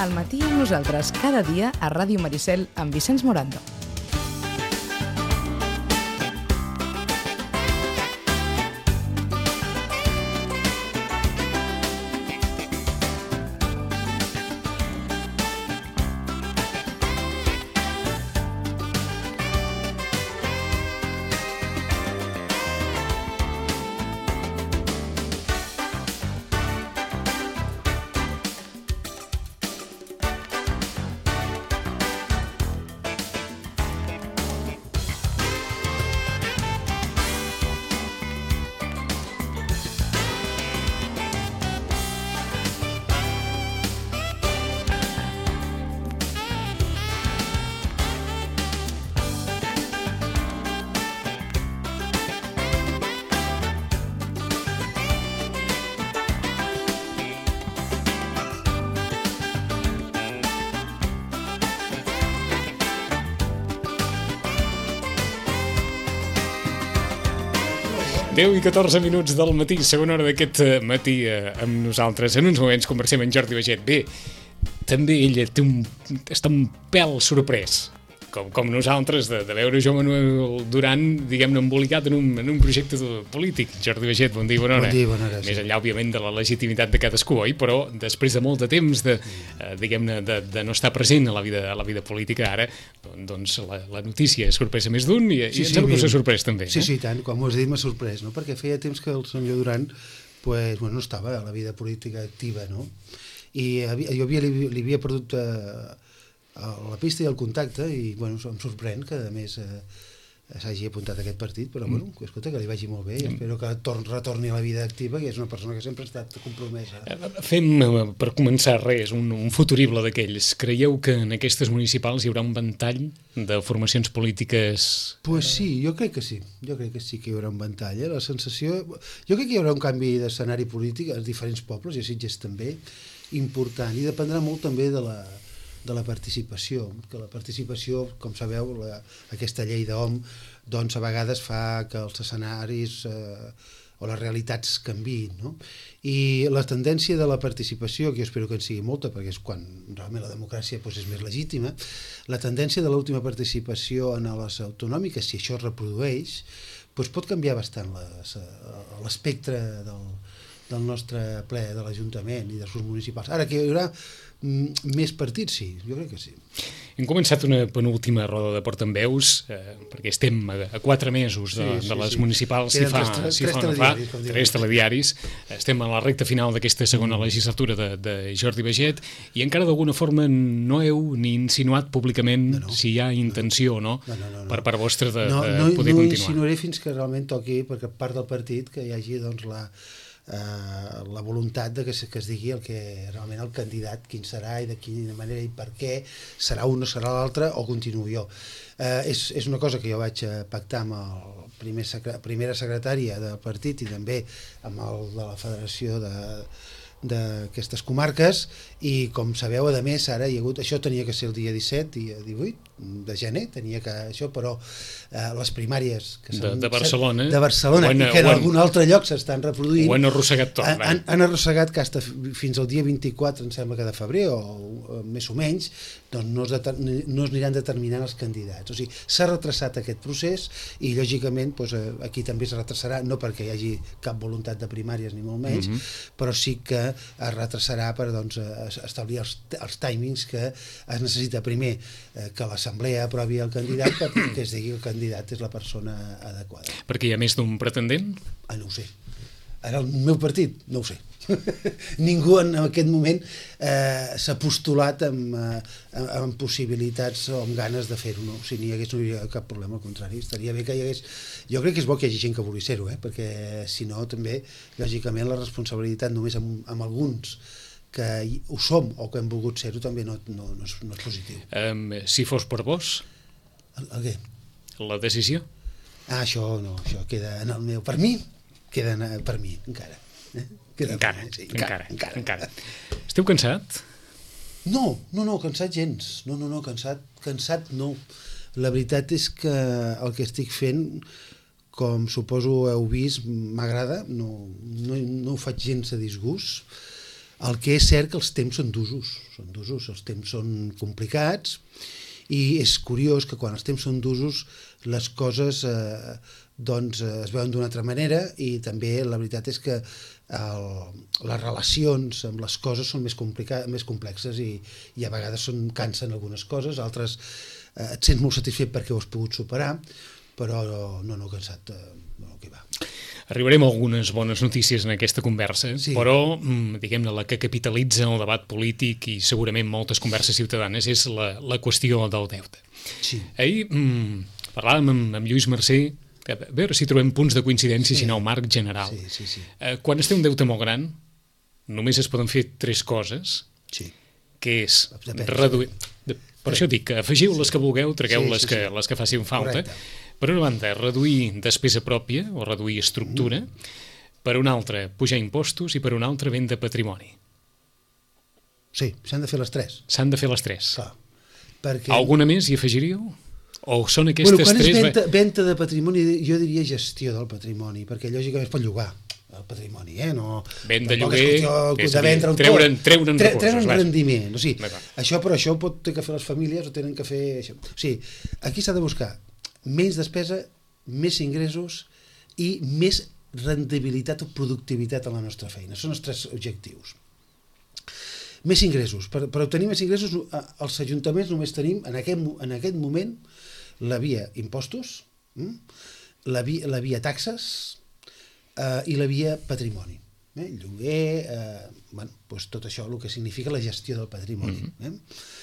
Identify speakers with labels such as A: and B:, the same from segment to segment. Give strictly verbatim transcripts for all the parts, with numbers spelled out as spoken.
A: Al matí amb nosaltres, cada dia a Ràdio Maricel amb Vicenç Morando.
B: deu i catorze minuts del matí, segona hora d'aquest matí eh, amb nosaltres. En uns moments conversem amb Jordi Baiget. Bé, també ella té un, està un pèl sorprès, com, com nosaltres, de, de veure Joan Manuel Duran, diguem-ne, embolicat en un, en un projecte polític. Jordi Baiget, bon dia, bona hora.
C: Bon dia, bona hora.
B: Més enllà, òbviament, de la legitimitat de cadascú, oi? Però després de molt de temps de, eh, diguem-ne, de, de no estar present a la vida, a la vida política, ara, doncs la, la notícia és sorpresa més d'un i, sí, i em sembla que us ha sorprès també.
C: Sí, eh? sí, tant, com ho has dit, m'ha sorprès, no? Perquè feia temps que el senyor Duran pues, bueno, no estava a la vida política activa, no? I havia, jo havia, li, li havia perdut eh, la pista i el contacte i bueno, em sorprèn que a més eh, s'hagi apuntat a aquest partit, però bueno, mm. escolta, que li vagi molt bé i mm. espero que torn, retorni a la vida activa, que és una persona que sempre ha estat compromesa.
B: Fem, per començar res, un, un futurible d'aquells. Creieu que en aquestes municipals hi haurà un ventall de formacions polítiques?
C: Pues sí, jo crec que sí, jo crec que sí que hi haurà un ventall, eh? La sensació... Jo crec que hi haurà un canvi d'escenari polític als diferents pobles, i a Sitges també, important, i dependrà molt també de la de la participació, que la participació, com sabeu, la, aquesta llei d'O M, doncs a vegades fa que els escenaris eh, o les realitats canviïn, no? I la tendència de la participació, que jo espero que en sigui molta, perquè és quan realment la democràcia doncs, és més legítima, la tendència de l'última participació en les autonòmiques, si això es reprodueix, doncs pot canviar bastant l'espectre del, del nostre ple de l'Ajuntament i dels grups municipals. Ara, que hi haurà més partits, sí, jo crec que sí.
B: Hem començat una penúltima roda de portaveus, eh, perquè estem a, a quatre mesos de, sí, sí, de les sí. municipals, si fa, tres, si tres fa o no fa, tres telediaris. Estem a la recta final d'aquesta segona mm. legislatura de, de Jordi Baiget i encara d'alguna forma no heu ni insinuat públicament no, no. si hi ha intenció o no, no, no, no, no. per part vostra de,
C: no,
B: de
C: no,
B: poder
C: no
B: continuar.
C: No insinuaré fins que realment toqui, perquè part del partit que hi hagi doncs, la, Uh, la voluntat de que, que es digui el que realment el candidat, quin serà i de quina manera i per què, serà un o serà l'altre o continuo jo. Uh, és, és una cosa que jo vaig pactar amb el primer secre, primera secretària del partit i també amb el de la Federació de d'aquestes comarques i com sabeu, a més, ara hi ha hagut, això tenia que ser el dia disset i divuit de gener, tenia que això, però eh, les primàries que
B: de, de Barcelona,
C: de Barcelona
B: en,
C: i que en algun altre lloc s'estan reproduint,
B: ho han arrossegat tot,
C: han, han, han arrossegat que hasta fins al dia vint-i-quatre, em sembla que de febrer o, o més o menys, doncs no es, deter, no es aniran determinant els candidats, o sigui, s'ha retrasat aquest procés i lògicament doncs, aquí també es retrasarà, no perquè hi hagi cap voluntat de primàries ni molt menys, mm-hmm. però sí que es retrasarà per doncs, establir els, els timings que es necessita primer eh, que l'Assemblea aprovi el candidat perquè es digui que el candidat és la persona adequada.
B: Perquè hi ha més d'un pretendent?
C: Ah, no ho sé. Ara el meu partit, no ho sé. Ningú en aquest moment eh, s'ha postulat amb, amb, amb possibilitats o amb ganes de fer-ho, no? Si n'hi hagués no hi hauria cap problema, al contrari, estaria bé que hi hagués... Jo crec que és bo que hi hagi gent que vulgui ser-ho, eh? Perquè si no també, lògicament, la responsabilitat només amb, amb alguns que ho som o que hem volgut ser-ho també no, no, no, és, no és positiu.
B: Um, si fos per vos?
C: El, el què?
B: La decisió?
C: Ah, això no, això queda en el meu... Per mi, queda en, per mi, encara. Eh? Queda
B: encara,
C: sí,
B: encara,
C: encara,
B: encara. Esteu cansat?
C: No, no, no, cansat gens. No, no, no, cansat, cansat no. La veritat és que el que estic fent, com suposo heu vist, m'agrada, no, no, no ho faig gens a disgust. El que és cert que els temps són d'usos, són d'usos, els temps són complicats i és curiós que quan els temps són d'usos les coses eh, doncs, eh, es veuen d'una altra manera i també la veritat és que el, les relacions amb les coses són més, més complexes i, i a vegades són, cansen algunes coses, altres eh, et sents molt satisfet perquè ho has pogut superar, però no, no cansat, eh, no, que va.
B: Arribarem a algunes bones notícies en aquesta conversa, sí. Però, diguem-ne, la que capitalitza el debat polític i segurament moltes converses ciutadanes és la, la qüestió del deute.
C: Sí.
B: Ahir mm, parlàvem amb, amb Lluís Mercè, a veure si trobem punts de coincidència, sí. Si no, el marc general.
C: Sí, sí, sí.
B: Eh, quan es té un deute molt gran, només es poden fer tres coses,
C: sí.
B: Que és reduir... De, per sí. Això dic, afegiu les que vulgueu, tragueu sí, sí, les, que, sí. les que facin falta. Correcte. Per una banda, reduir despesa pròpia o reduir estructura, mm. Per una altra, pujar impostos i per una altra, venda patrimoni.
C: Sí, s'han de fer les tres.
B: S'han de fer les tres.
C: Clar, perquè...
B: Alguna més hi afegiríeu? O són aquestes
C: bueno, quan
B: tres...
C: Quan és venda, venda de patrimoni, jo diria gestió del patrimoni, perquè lògicament es pot llogar el patrimoni, eh? No,
B: venda lloguer,
C: és de vendre
B: treure'n treure'n
C: tre,
B: recursos.
C: Treure'n rendiment. O sigui, això, però això pot ter que fer les famílies o tenen que fer això. O sigui, aquí s'ha de buscar menys despesa, més ingressos i més rendibilitat o productivitat a la nostra feina. Són els tres objectius. Més ingressos. Per, per obtenir més ingressos, els ajuntaments només tenim, en aquest, en aquest moment, la via impostos, la via, la via taxes eh, i la via patrimoni. Eh? Lloguer, eh, bueno, doncs tot això, el que significa la gestió del patrimoni. Mm-hmm. eh?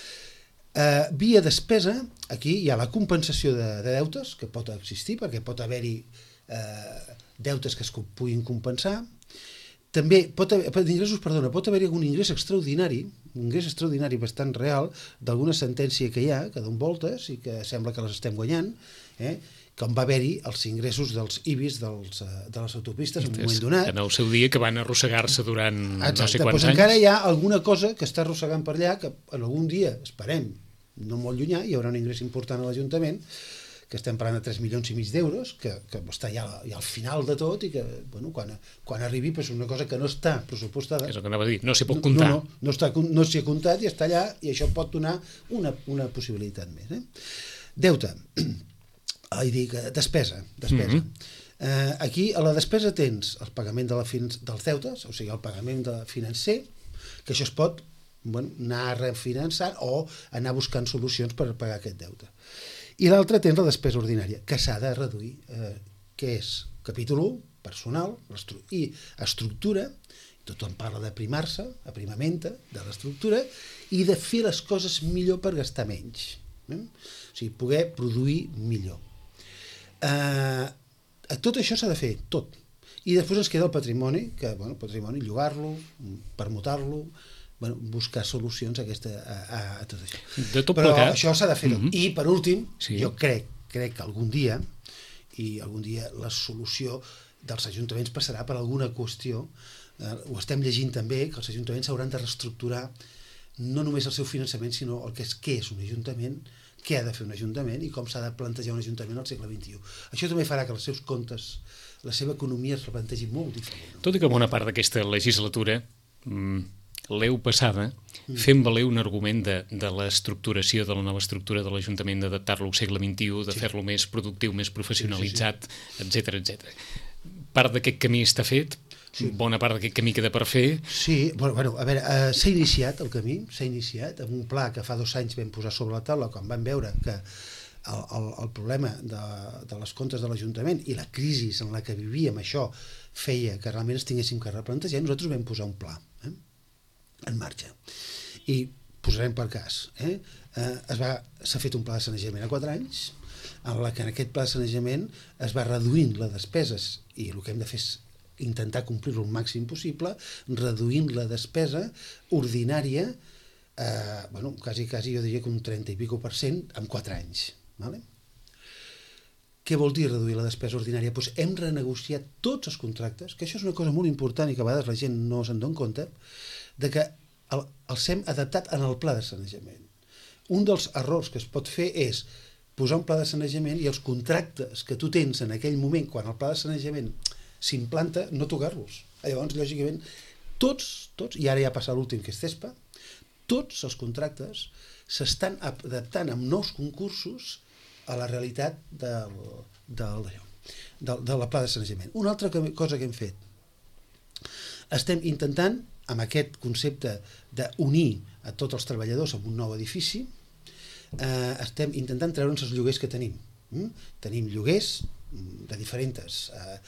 C: Uh, via despesa, aquí hi ha la compensació de, de deutes, que pot existir, perquè pot haver-hi uh, deutes que es puguin compensar. També pot haver, ingressos, perdona, pot haver-hi algun ingrés extraordinari, un ingrés extraordinari bastant real, d'alguna sentència que hi ha, que donen voltes i que sembla que les estem guanyant, eh? Com va haver-hi els ingressos dels I B I S dels, de les autopistes en un moment donat.
B: En el seu dia que van arrossegar-se durant
C: Exacte,
B: no sé quants
C: doncs
B: anys.
C: Encara hi ha alguna cosa que està arrossegant per allà, que en algun dia, esperem, no molt llunyà, hi haurà un ingrés important a l'Ajuntament, que estem parlant de tres milions i mig d'euros, que, que està ja, ja al final de tot i que, bueno, quan, quan arribi és una cosa que no està pressupostada.
B: És el que anava a dir, no s'hi pot comptar.
C: No, no, no, està, no s'hi ha comptat i està allà i això pot donar una, una possibilitat més. Eh? Deute. Ah, dic, despesa. despesa. Mm-hmm. eh, aquí a la despesa tens el pagament de la fin dels deutes, o sigui, el pagament de financer, que això es pot bueno, anar refinançant o anar buscant solucions per pagar aquest deute. I l'altre tens la despesa ordinària, que s'ha de reduir, eh, que és capítol u, personal, i estructura, tothom parla d'aprimar-se, aprimamenta de l'estructura, i de fer les coses millor per gastar menys. Eh? O sigui, poder produir millor. Eh, tot això s'ha de fer, tot. I després ens queda el patrimoni, que, bueno, el patrimoni, llogar-lo, permutar-lo, bueno, buscar solucions a, aquesta, a, a, a tot això.
B: De tot
C: Però
B: plegat.
C: això s'ha de fer tot. Mm-hmm. I, per últim,
B: sí.
C: jo crec, crec que algun dia, i algun dia la solució dels ajuntaments passarà per alguna qüestió, eh, ho estem llegint també, que els ajuntaments hauran de reestructurar no només el seu finançament, sinó el que és què és un ajuntament, què ha de fer un ajuntament i com s'ha de plantejar un ajuntament al segle vint-i-u. Això també farà que els seus comptes, la seva economia es replantegi molt diferent.
B: Tot i que bona part d'aquesta legislatura mmm, l'heu passada mm. fent valer un argument de, de l'estructuració, de la nova estructura de l'Ajuntament, d'adaptar-lo al segle vint-i-u, de sí. fer-lo més productiu, més professionalitzat, sí, sí, sí. etcètera, etcètera. Part d'aquest camí està fet, sí. Bona part d'aquest camí queda per fer.
C: Sí, bueno, bueno a veure, uh, s'ha iniciat el camí, s'ha iniciat amb un pla que fa dos anys vam posar sobre la taula quan vam veure que el, el, el problema de, de les comptes de l'Ajuntament i la crisi en la que vivíem, això feia que realment es tinguéssim que replantejar. Nosaltres vam posar un pla eh, en marxa i posarem per cas. Eh, eh, es va, s'ha fet un pla de sanejament a quatre anys en la que en aquest pla de sanejament es va reduint les despeses i el que hem de fer és intentar complir-ho el màxim possible, reduint la despesa ordinària, eh, bueno, quasi, quasi jo diria que un trenta i pico per cent en quatre anys. Vale? Què vol dir reduir la despesa ordinària? Pues hem renegociat tots els contractes, que això és una cosa molt important i que a vegades la gent no se'n dona compte, de que el, els hem adaptat en el pla de sanejament. Un dels errors que es pot fer és posar un pla de sanejament i els contractes que tu tens en aquell moment, quan el pla de sanejament s'implanta, no tocar-los. Llavors, lògicament, tots, tots, i ara ja passa l'últim que és CESPA, tots els contractes s'estan adaptant amb nous concursos a la realitat del, del, del, de la pla de sanejament. Una altra cosa que hem fet, estem intentant, amb aquest concepte d'unir a tots els treballadors en un nou edifici, eh, estem intentant treure'ns els lloguers que tenim. Mm? Tenim lloguers de diferents eh,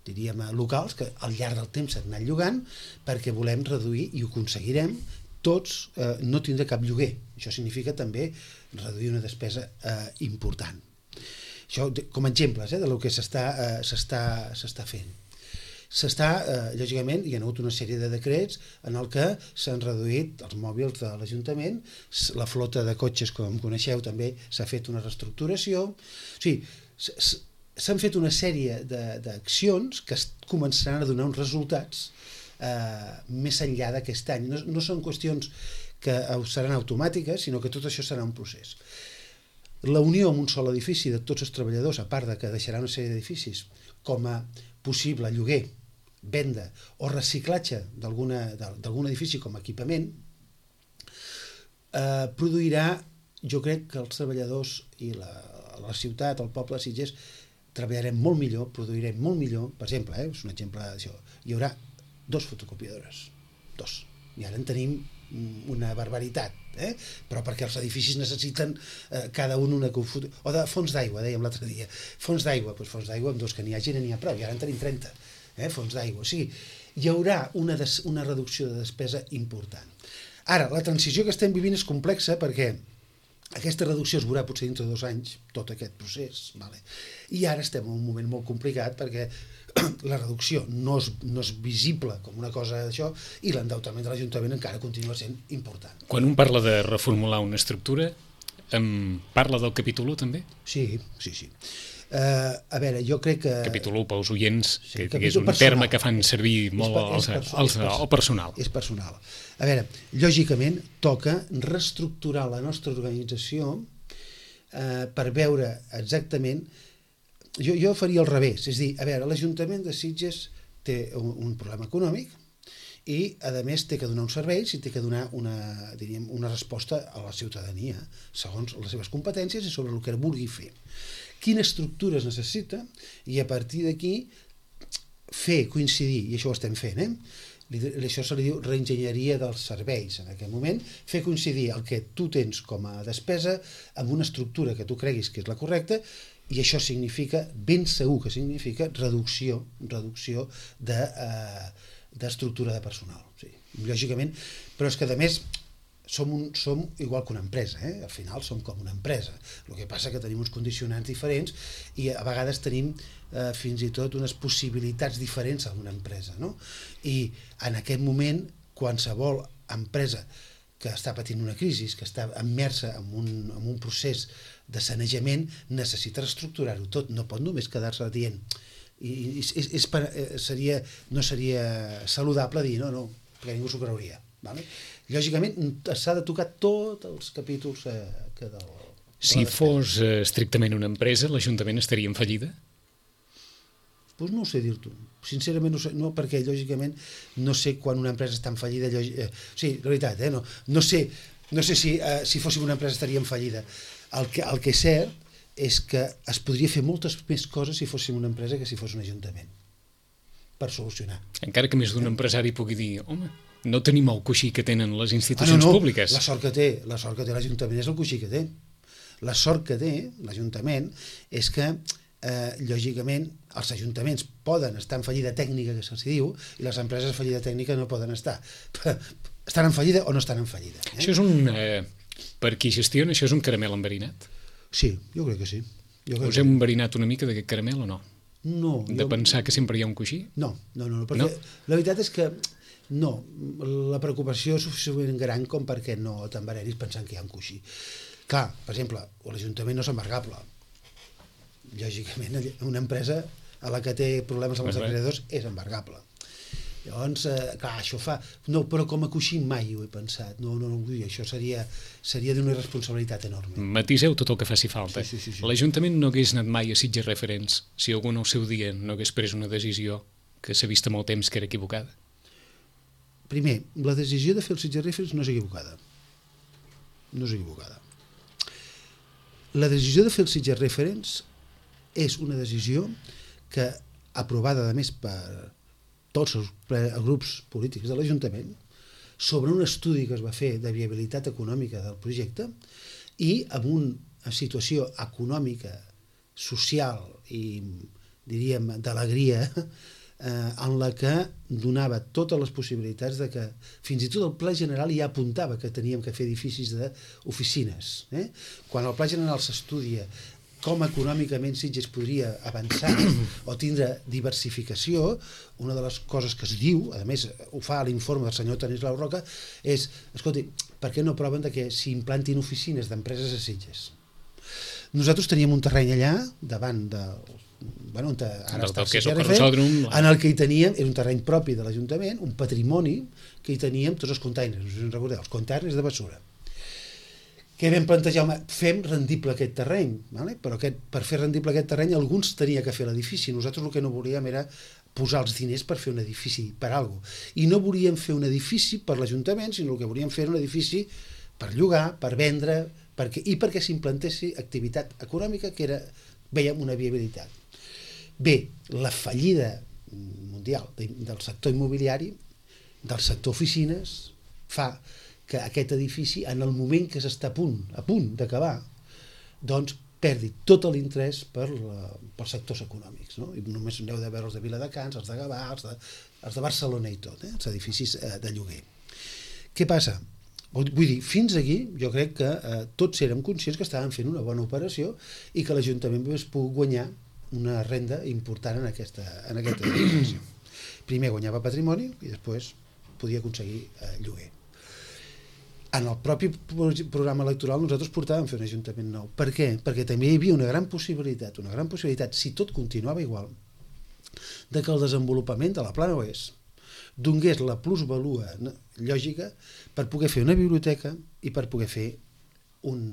C: diríem, locals que al llarg del temps s'han anat llogant perquè volem reduir, i ho aconseguirem, tots eh, no tindrà cap lloguer. Això significa també reduir una despesa eh, important. Això com a exemples eh, del que s'està eh, s'està s'està fent. S'està, eh, lògicament, hi ha hagut una sèrie de decrets en el que s'han reduït els mòbils de l'Ajuntament, la flota de cotxes, com coneixeu, també s'ha fet una reestructuració. O sigui, s'han fet una sèrie d'accions que començaran a donar uns resultats eh, més enllà d'aquest any. No, no són qüestions que seran automàtiques, sinó que tot això serà un procés. La unió en un sol edifici de tots els treballadors, a part de que deixarà una sèrie d'edificis com a possible lloguer, venda o reciclatge d'algun edifici com a equipament, eh, produirà, jo crec que els treballadors i la, la ciutat, el poble de Sitges, treballarem molt millor, produirem molt millor. Per exemple, eh, és un exemple d'això, hi haurà dos fotocopiadores, dos, i ara en tenim una barbaritat, eh? Però perquè els edificis necessiten eh, cada un una confusió, o de fons d'aigua, dèiem l'altre dia, fons d'aigua, doncs fons d'aigua amb dos que n'hi hagi n'hi ha prou, i ara en tenim trenta, eh? Fons d'aigua, o sigui, hi haurà una, des, una reducció de despesa important. Ara, la transició que estem vivint és complexa perquè aquesta reducció es veurà potser dintre de dos anys, tot aquest procés, vale? I ara estem en un moment molt complicat perquè la reducció no és, no és visible com una cosa d'això i l'endeutament de l'Ajuntament encara continua sent important.
B: Quan un parla de reformular una estructura, em parla del capítol u també?
C: Sí, sí, sí. Uh, a veure, jo crec que...
B: Capítol u pels oients,
C: sí,
B: que, que és un personal. Terme que fan servir molt és, és, els, els, el personal.
C: És personal. A veure, lògicament toca reestructurar la nostra organització uh, per veure exactament... Jo, jo faria al revés, és a dir, a veure, l'Ajuntament de Sitges té un, un problema econòmic i, a més, té que donar uns serveis i té que donar una, diríem, una resposta a la ciutadania, segons les seves competències i sobre el que vulgui fer. Quina estructura es necessita i, a partir d'aquí, fer coincidir, i això ho estem fent, eh? Això se li diu reenginyeria dels serveis en aquest moment, fer coincidir el que tu tens com a despesa amb una estructura que tu creguis que és la correcta, i això significa, ben segur que significa, reducció, reducció de, eh, d'estructura de personal. Sí, lògicament, però és que, a més, som, un, som igual que una empresa, eh? Al final som com una empresa. El que passa que tenim uns condicionants diferents i a vegades tenim eh, fins i tot unes possibilitats diferents en una empresa, no? I en aquest moment, qualsevol empresa que està patint una crisi, que està immersa en un, en un procés de sanejament, necessita reestructurar-ho tot, no pot només quedar-se dient. I, i és, és per, seria, no seria saludable dir no, no, perquè ningú s'ho creuria. Vale? Lògicament s'ha de tocar tots els capítols eh, que del...
B: Si fos eh, estrictament una empresa, l'Ajuntament estaria en fallida?
C: Doncs pues no ho sé dir-t'ho. Sincerament no sé, no, perquè lògicament no sé quan una empresa està en fallida. Lògic, eh, sí, la veritat, eh, no, no sé, no sé si, eh, si fóssim una empresa estaria en fallida. El que, el que és cert és que es podria fer moltes més coses si fóssim una empresa que si fos un ajuntament, per solucionar.
B: Encara que més d'un eh? empresari pugui dir, home, no tenim el coixí que tenen les institucions ah, no, no. públiques.
C: La sort que té, la sort que té l'Ajuntament és el coixí que té. La sort que té l'Ajuntament és que eh, lògicament els ajuntaments poden estar en fallida tècnica, que se'ls diu, i les empreses en fallida tècnica no poden estar. Estan en fallida o no estan en fallida. Eh?
B: Això és un... Eh, per qui gestiona, això és un caramel enverinat?
C: Sí, jo crec que sí. Jo crec
B: Us hem enverinat una mica d'aquest caramel o no?
C: No.
B: De
C: jo...
B: pensar que sempre hi ha un coixí?
C: No, no, no, no perquè no? La veritat és que no, la preocupació és suficientment gran com perquè no t'envenenis pensant que hi ha un coixí. Clar, per exemple, l'Ajuntament no és embargable. Lògicament, una empresa a la que té problemes amb els acreedors és embargable. Llavors, eh, clar, això fa... No, però com a coixí mai ho he pensat. No, no, no, això seria, seria d'una irresponsabilitat enorme.
B: Matiseu tot el que faci falta.
C: Sí, sí, sí, sí.
B: L'Ajuntament no hagués anat mai a Sitges Referents si algú en el seu dia no hagués pres una decisió que s'ha vist amb el temps que era equivocada?
C: primer, la decisió de fer el Sitges Reference no és equivocada. No és equivocada. La decisió de fer el Sitges Reference és una decisió que, aprovada a més per tots els grups polítics de l'Ajuntament, sobre un estudi que es va fer de viabilitat econòmica del projecte i amb una situació econòmica, social i, diríem, d'alegria, eh, en la que donava totes les possibilitats de que, fins i tot el Pla General ja apuntava que teníem que fer edificis d'oficines. Eh? Quan el Pla General s'estudia com econòmicament Sitges podria avançar o tindre diversificació, una de les coses que es diu, a més ho fa l'informe del senyor Tanislau Roca, és, escolti, per què no proven de que s'implantin oficines d'empreses a Sitges? Nosaltres teníem un terreny allà, davant de... Bueno, on ara està el Sitges Reference, en el que hi teníem, era un terreny propi de l'Ajuntament, un patrimoni que hi teníem tots els containers, no sé si us recordeu, els containers de bessura. Què vam plantejar? Home, fem rendible aquest terreny, vale? Però aquest, per fer rendible aquest terreny alguns tenia que fer l'edifici. Nosaltres el que no volíem era posar els diners per fer un edifici, per alguna cosa. I no volíem fer un edifici per l'Ajuntament, sinó el que volíem fer era un edifici per llogar, per vendre, perquè, i perquè s'implantessi activitat econòmica que era, veiem, una viabilitat. Bé, la fallida mundial del sector immobiliari, del sector oficines, fa que aquest edifici, en el moment que s'està a punt, a punt d'acabar, doncs perdi tot l'interès per la, pels sectors econòmics. No? I només aneu de veure els de Viladecans, els de Gavà, els de, els de Barcelona i tot, eh? Els edificis eh, de lloguer. Què passa? Vull dir, fins aquí jo crec que eh, tots érem conscients que estàvem fent una bona operació i que l'Ajuntament es pogut guanyar una renda important en aquesta, en aquesta operació. Primer guanyava patrimoni i després podia aconseguir eh, lloguer. En el propi programa electoral nosaltres portàvem fer un ajuntament nou. Per què? Perquè també hi havia una gran possibilitat, una gran possibilitat, si tot continuava igual, de que el desenvolupament de la Plana Oest donés la plusvalua lògica per poder fer una biblioteca i per poder fer un,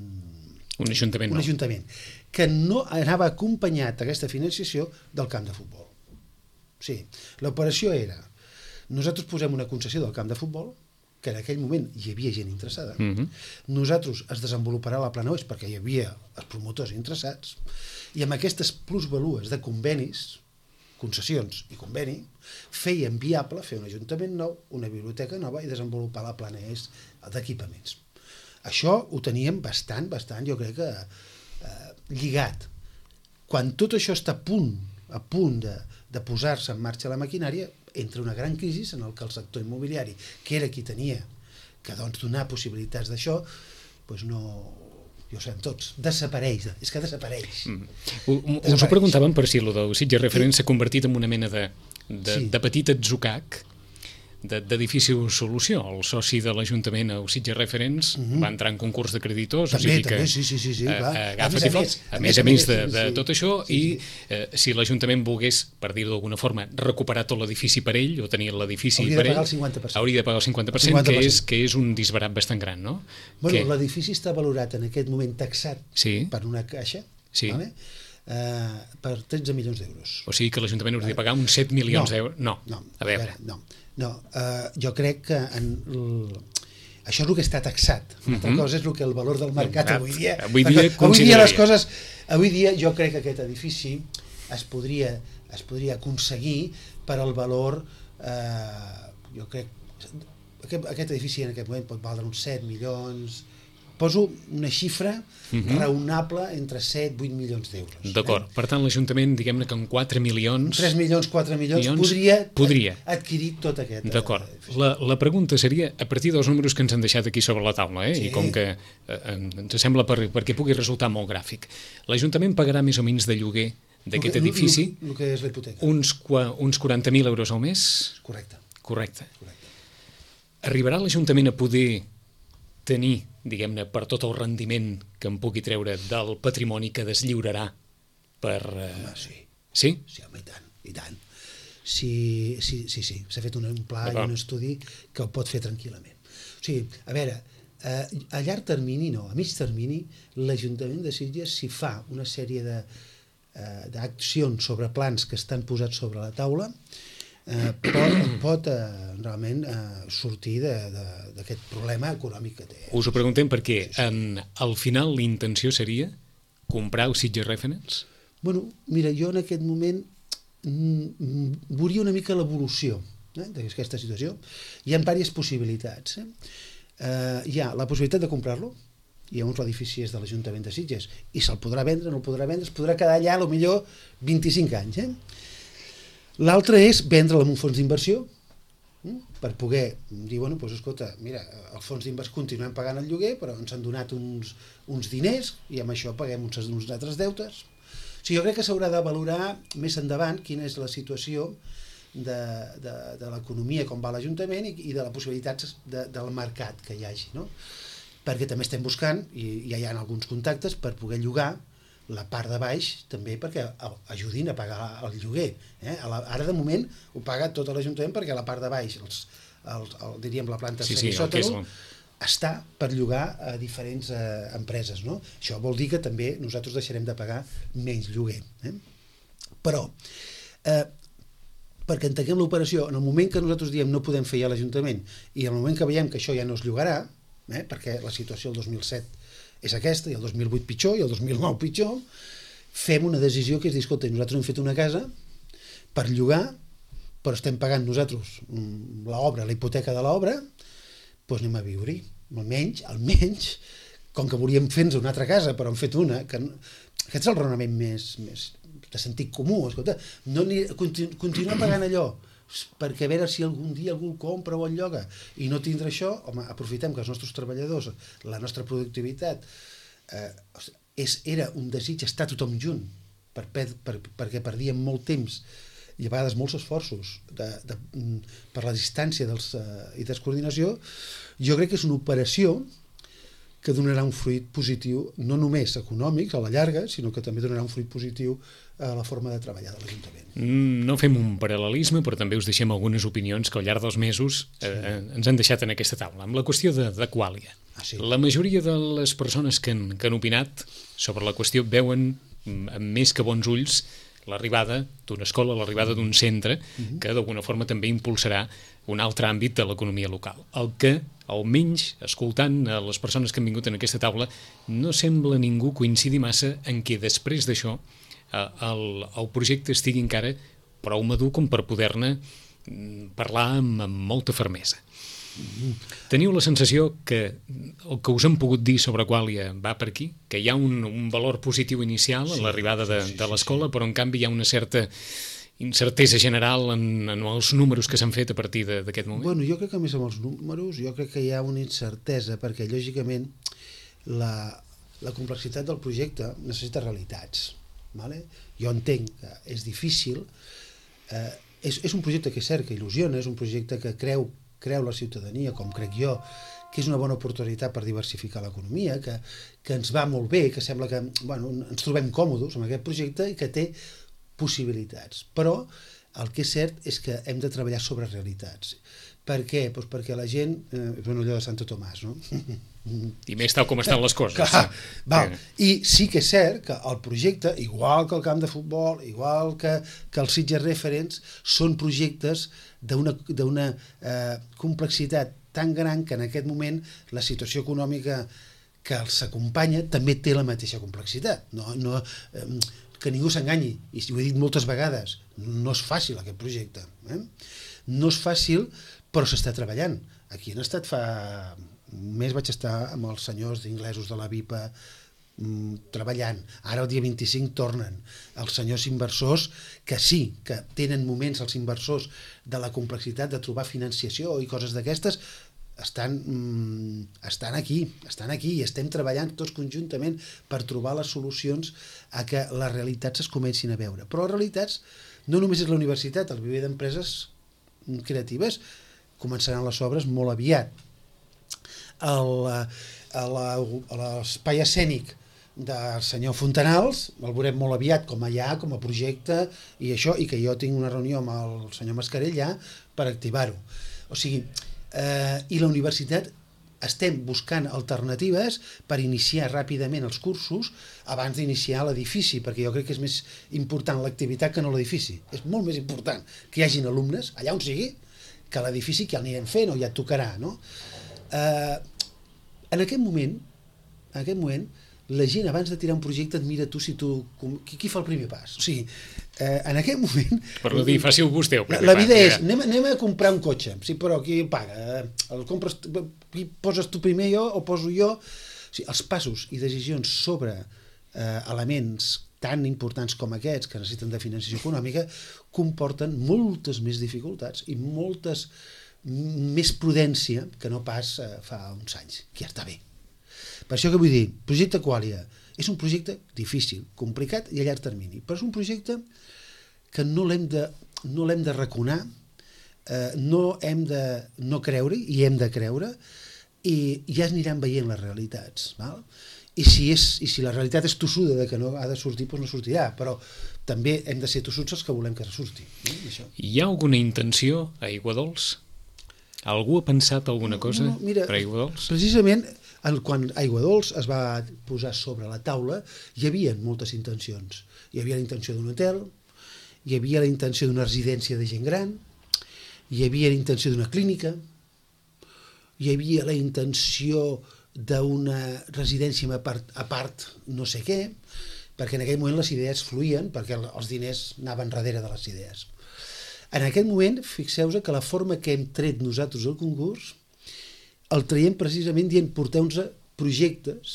B: un ajuntament,
C: un ajuntament que no anava acompanyat aquesta financiació del camp de futbol. O sigui, l'operació era, nosaltres posem una concessió del camp de futbol, que en aquell moment hi havia gent interessada. Uh-huh. Nosaltres es desenvoluparà la Plana Oest perquè hi havia els promotors interessats i amb aquestes plusvalues de convenis, concessions i conveni, feien viable fer un ajuntament nou, una biblioteca nova i desenvolupar la Plana Oest d'equipaments. Això ho teníem bastant, bastant, jo crec que eh, lligat. Quan tot això està a punt, a punt de, de posar-se en marxa la maquinària, entra una gran crisi en el que el sector immobiliari, que era qui tenia que doncs, donar possibilitats d'això, doncs no, ja ho sabem tots, desapareix, és que desapareix. Mm.
B: desapareix. Us ho preguntàvem per si el del Sitges Reference s'ha convertit en una mena de, de, sí. de petit atzucac, de, de difícil solució. El soci de l'Ajuntament, el Sitges Reference, mm-hmm. va entrar en concurs de creditors,
C: també,
B: o sigui
C: també,
B: que
C: sí, sí, sí, sí, clar.
B: A, a, a, més, a, més, a més a més de, de sí, tot això, sí, sí. i eh, si l'Ajuntament volgués, per dir-ho d'alguna forma, recuperar tot l'edifici per ell, o tenir l'edifici per ell, hauria de pagar el cinquanta per cent, cinquanta per cent. Que, és, que és un disbarat bastant gran, no?
C: Bueno, l'edifici està valorat en aquest moment taxat sí. per una caixa,
B: sí.
C: vale? uh, per tretze milions d'euros.
B: O sigui que l'Ajuntament hauria de pagar uns set milions
C: no,
B: d'euros? No,
C: no,
B: a veure.
C: No, no. Uh, jo crec que en l... això és el que està taxat. Una altra uh-huh. cosa és el que el valor del mercat avui dia...
B: Avui dia,
C: avui dia les coses... Avui dia jo crec que aquest edifici es podria, es podria aconseguir per al valor... Eh, jo crec... Aquest, aquest edifici en aquest moment pot valdre uns set milions... Poso una xifra uh-huh. raonable entre set i vuit milions d'euros.
B: D'acord. Eh? Per tant, l'Ajuntament, diguem-ne que amb quatre milions...
C: tres milions, quatre milions, milions podria,
B: podria
C: adquirir tot aquest...
B: D'acord. La, la pregunta seria, a partir dels números que ens han deixat aquí sobre la taula, eh? Sí. I com que eh, ens sembla per, perquè pugui resultar molt gràfic, l'Ajuntament pagarà més o menys de lloguer d'aquest edifici
C: el, el, el que és l'hipoteca.
B: Uns, uns quaranta mil euros al mes?
C: Correcte.
B: Correcte. Correcte. Arribarà l'Ajuntament a poder tenir, diguem-ne, per tot el rendiment que em pugui treure del patrimoni que deslliurarà per... Eh...
C: Home, sí.
B: Sí?
C: Sí, home, i tant, i tant. Sí, sí, sí, sí. S'ha fet un, un pla i un estudi que ho pot fer tranquil·lament. O sigui, a veure, eh, a llarg termini no, a mig termini, l'Ajuntament de Sitges, si fa una sèrie de, eh, d'accions sobre plans que estan posats sobre la taula, eh, pot, pot eh, realment eh, sortir d'aquest problema econòmic que té.
B: Us ho preguntem perquè en, al final l'intenció seria comprar els Sitges Reference?
C: Bueno, mira, jo en aquest moment mm, veuria una mica l'evolució eh, d'aquesta situació. Hi ha diverses possibilitats. Eh? Eh, hi ha la possibilitat de comprar-lo, i llavors l'edifici és de l'Ajuntament de Sitges i se'l podrà vendre, no el podrà vendre, es podrà quedar allà a lo millor vint-i-cinc anys. Eh? L'altre és vendre'l amb un fons d'inversió eh? per poder dir, bueno, doncs escolta, mira, el fons d'inversió continuem pagant el lloguer, però ens han donat uns, uns diners i amb això paguem uns, uns altres deutes. O sigui, jo crec que s'haurà de valorar més endavant quina és la situació de, de, de l'economia, com va l'Ajuntament i, i de les possibilitats de, del mercat que hi hagi, no? Perquè també estem buscant, i ja hi ha alguns contactes, per poder llogar la part de baix també perquè ajudin a pagar el lloguer. Eh? Ara de moment ho paga tot l'Ajuntament perquè la part de baix, els, els, el, diríem la planta
B: sí, sí,
C: sòtano, està per llogar a diferents eh, empreses. No? Això vol dir que també nosaltres deixarem de pagar menys lloguer. Eh? Però, eh, perquè entenguem l'operació, en el moment que nosaltres diem no podem fer ja l'Ajuntament i en el moment que veiem que això ja no es llogarà, eh, perquè la situació el dos mil set és aquesta, i el dos mil vuit pitjor, i el dos mil nou pitjor, fem una decisió que és dir, escolta, nosaltres hem fet una casa per llogar, però estem pagant nosaltres l'obra, la hipoteca de l'obra, doncs anem a viure-hi. Almenys, almenys, com que volíem fer-nos una altra casa, però hem fet una, que aquest és el raonament més, més de sentit comú, escolta, no ni, continu, continuar pagant allò, perquè a veure si algun dia algú compra o el lloga i no tindre això, home, aprofitem que els nostres treballadors, la nostra productivitat eh, és, era un desig estar tothom junt per, per, per, perquè perdíem molt temps i a vegades molts esforços de, de, per la distància dels, eh, i descoordinació. Jo crec que és una operació que donarà un fruit positiu, no només econòmic a la llarga, sinó que també donarà un fruit positiu a la forma de treballar de l'Ajuntament.
B: No fem un paral·lelisme, però també us deixem algunes opinions que al llarg dels mesos eh, sí. ens han deixat en aquesta taula. Amb la qüestió de, de Qualia. Ah, sí. La majoria de les persones que han, que han opinat sobre la qüestió veuen amb més que bons ulls l'arribada d'una escola, l'arribada d'un centre uh-huh. que d'alguna forma també impulsarà un altre àmbit de l'economia local. El que, almenys, escoltant a les persones que han vingut en aquesta taula, no sembla ningú coincidir massa en què després d'això el, el projecte estigui encara prou madur com per poder-ne parlar amb, amb molta fermesa. Teniu la sensació que el que us han pogut dir sobre Qualia va per aquí? Que hi ha un, un valor positiu inicial a sí, l'arribada de, sí, sí, de l'escola, sí, sí. Però en canvi hi ha una certa incertesa general en, en els números que s'han fet a partir d'aquest moment?
C: Bueno, jo crec que més amb els números, jo crec que hi ha una incertesa, perquè lògicament la, la complexitat del projecte necessita realitats. Vale? Jo entenc que és difícil, eh, és, és un projecte que és cert, que il·lusiona, és un projecte que creu creu la ciutadania, com crec jo, que és una bona oportunitat per diversificar l'economia, que, que ens va molt bé, que sembla que bueno, ens trobem còmodes amb aquest projecte i que té possibilitats. Però el que és cert és que hem de treballar sobre realitats. Per què? Pues perquè la gent... Eh, bueno, allò de Santo Tomàs, no?
B: I més tal com estan les coses.
C: Clar, val. I sí que és cert que el projecte, igual que el camp de futbol, igual que, que els Sitges Referents, són projectes d'una d'una eh, complexitat tan gran que en aquest moment la situació econòmica que els acompanya també té la mateixa complexitat. No, no, eh, que ningú s'enganyi, i ho he dit moltes vegades, no és fàcil aquest projecte. Eh? No és fàcil, però s'està treballant. Aquí han estat fa un mes, vaig estar amb els senyors inglesos de la VIPA mmm, treballant. Ara el dia vint-i-cinc tornen els senyors inversors, que sí, que tenen moments els inversors de la complexitat de trobar financiació i coses d'aquestes, estan, mm, estan aquí, estan aquí i estem treballant tots conjuntament per trobar les solucions a que les realitats es comencin a veure. Però les realitats no només és la universitat, el viver d'empreses creatives començaran les obres molt aviat. L'espai escènic del senyor Fontanals el veurem molt aviat com allà, com a projecte i això, i que jo tinc una reunió amb el senyor Mascarell ja per activar-ho. O sigui, eh, i la universitat estem buscant alternatives per iniciar ràpidament els cursos abans d'iniciar l'edifici, perquè jo crec que és més important l'activitat que no l'edifici. És molt més important que hi hagin alumnes, allà on sigui, que l'edifici que ja anirem fent o ja et tocarà, no? Eh, en aquest moment, en aquest moment, la gent abans de tirar un projecte et mira tu si tu... Qui, qui fa el primer pas? O sigui, eh, en aquest moment...
B: Per no dir, faci vostè el primer
C: pas. La vida
B: pas,
C: és, ja. anem, anem a comprar un cotxe, sí, però qui el paga? El compres, qui poses tu primer jo o poso jo? O sigui, els passos i decisions sobre eh, elements tan importants com aquests, que necessiten de financiació econòmica, comporten moltes més dificultats i moltes més prudència que no pas eh, fa uns anys, que ja està bé. Per això que vull dir, projecte Qualia és un projecte difícil, complicat i a llarg termini, però és un projecte que no l'hem de, no l'hem de raconar, eh, no hem de no creure i hem de creure, i ja es aniran veient les realitats, val? I si, és, i si la realitat és tossuda de que no ha de sortir, doncs no sortirà, però també hem de ser tossuts els que volem que surti. No? Això.
B: Hi ha alguna intenció a Aiguadols? Algú ha pensat alguna cosa no, no, mira, per Aiguadols?
C: Precisament, quan Aiguadols es va posar sobre la taula, hi havia moltes intencions. Hi havia la intenció d'un hotel, hi havia la intenció d'una residència de gent gran, hi havia la intenció d'una clínica, hi havia la intenció d'una residència a part, a part no sé què, perquè en aquell moment les idees fluïen, perquè els diners anaven darrere de les idees. En aquest moment, fixeu-vos que la forma que hem tret nosaltres al concurs el traiem precisament dient porteu-nos projectes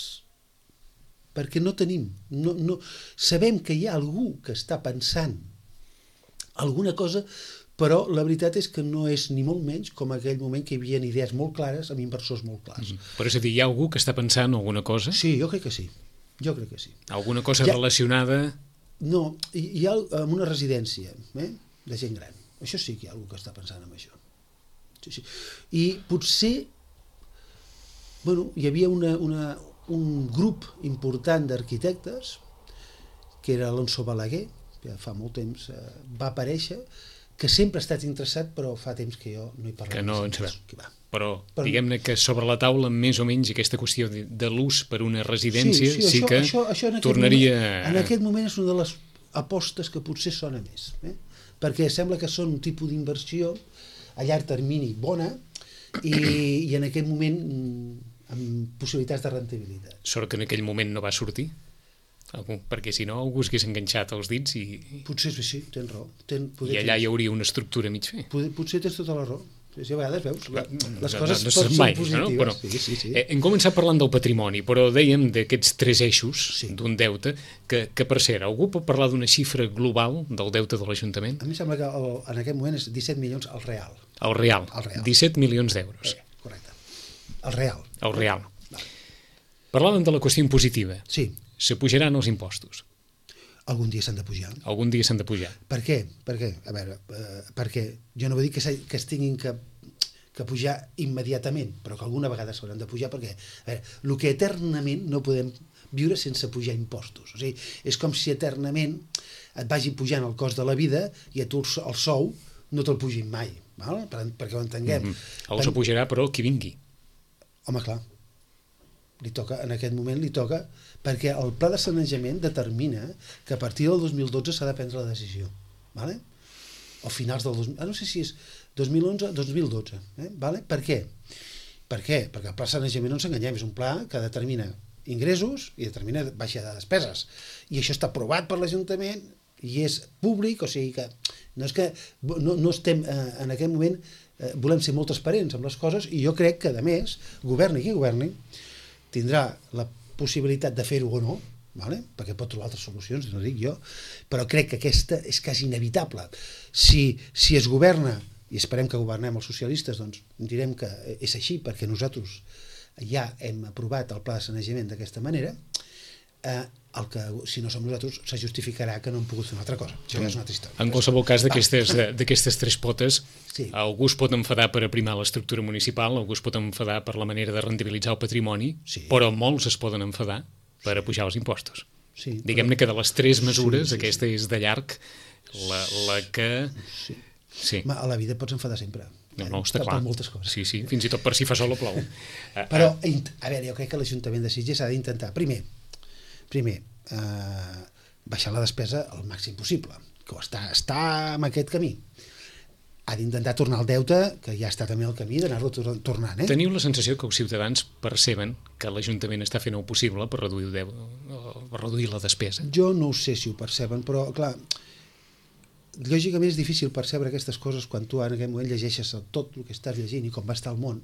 C: perquè no tenim, no, no, sabem que hi ha algú que està pensant alguna cosa, però la veritat és que no és ni molt menys com aquell moment que hi havia idees molt clares amb inversors molt clars.
B: Mm-hmm. Però és a dir, hi ha algú que està pensant alguna cosa?
C: Sí, jo crec que sí. Jo crec que sí.
B: Alguna cosa ha... relacionada?
C: No, hi ha una residència eh, de gent gran. Això sí que hi ha algú que està pensant en això. Sí, sí. I potser, bueno, hi havia una, una, un grup important d'arquitectes, que era Alonso Balaguer, que fa molt temps eh, va aparèixer, que sempre ha estat interessat, però fa temps que jo no hi parlo.
B: Que no en sabem. Però, però diguem-ne que sobre la taula, més o menys, aquesta qüestió de, de l'ús per una residència sí, sí, sí això, que això, això en tornaria...
C: Moment, en aquest moment és una de les apostes que potser sona més, eh? Perquè sembla que són un tipus d'inversió a llarg termini bona i, i en aquest moment amb possibilitats de rentabilitat.
B: Sort que en aquell moment no va sortir? Perquè si no algú s'hagués enganxat els dits i...
C: Potser sí, tens raó. Ten,
B: I allà hi hauria una estructura mig fer.
C: Potser, potser tens tota la raó. Si a vegades veus, la, les
B: no,
C: coses
B: no, no
C: són
B: mai,
C: positives.
B: No? Però,
C: sí, sí, sí.
B: Eh, hem començat parlant del patrimoni, però dèiem d'aquests tres eixos
C: sí.
B: d'un deute, que, que per cert, algú pot parlar d'una xifra global del deute de l'Ajuntament?
C: A mi sembla que el, en aquest moment és disset milions al real.
B: El real,
C: el real.
B: disset milions d'euros.
C: Eh, correcte. El real.
B: El real. Vale. Parlàvem de la qüestió impositiva.
C: Sí.
B: S'apujaran els impostos.
C: Algun dia s'han de pujar.
B: Algun dia s'han de pujar.
C: Per què? Per què? A veure, eh, perquè jo no vull dir que, que es tinguin que, que pujar immediatament, però que alguna vegada s'hauran de pujar, perquè, a veure, el que eternament no podem viure sense pujar impostos. O sigui, és com si eternament et vagi pujant el cost de la vida i a tu el sou no te'l pugin mai, val? Per, perquè ho entenguem.
B: Mm-hmm. El pujarà, però, qui vingui.
C: Home, clar. Li toca, en aquest moment li toca, perquè el pla de sanejament determina que a partir del dos mil dotze s'ha de prendre la decisió, vale? O finals del dos mil, ah, no sé si és dos mil onze o dos mil dotze, eh? Vale? Per què? Per què? Perquè el pla de sanejament, no ens enganyem, és un pla que determina ingressos i determina baixada de despeses, i això està aprovat per l'Ajuntament i és públic, o sigui que no és que no, no estem eh, en aquest moment eh, volem ser molt transparents amb les coses, i jo crec que a més, governi qui governi, tindrà la possibilitat de fer-ho o no, vale? Perquè pot trobar altres solucions, no dic jo, però crec que aquesta és quasi inevitable. Si, si es governa, i esperem que governem els socialistes, doncs direm que és així, perquè nosaltres ja hem aprovat el pla de sanejament d'aquesta manera, eh, el que, si no som nosaltres, se justificarà que no hem pogut fer una altra cosa. Això ja és una altra història.
B: En qualsevol cas, d'aquestes tres potes,
C: sí.
B: Algú es pot enfadar per aprimar l'estructura municipal, algú es pot enfadar per la manera de rendibilitzar el patrimoni, sí. Però molts es poden enfadar per apujar els impostos.
C: Sí,
B: Diguem-ne que de les tres mesures,
C: sí, sí,
B: aquesta
C: sí.
B: és de llarg la, la que...
C: Sí.
B: Sí.
C: A la vida pots enfadar sempre.
B: No, no, està clar.
C: Per moltes coses.
B: Sí, sí, fins i tot per si fa sol o plou.
C: Però, a veure, jo crec que l'Ajuntament de Sitges ha d'intentar, primer, primer, eh, baixar la despesa al màxim possible, que està, està en aquest camí. Ha d'intentar tornar al deute, que ja està també al camí d'anar-lo tornant. Eh?
B: Teniu la sensació que els ciutadans perceben que l'Ajuntament està fent el possible per reduir, el deu, per reduir la despesa?
C: Jo no ho sé si ho perceben, però, clar, lògicament és difícil percebre aquestes coses quan tu en aquest moment llegeixes tot el que estàs llegint i com va estar el món.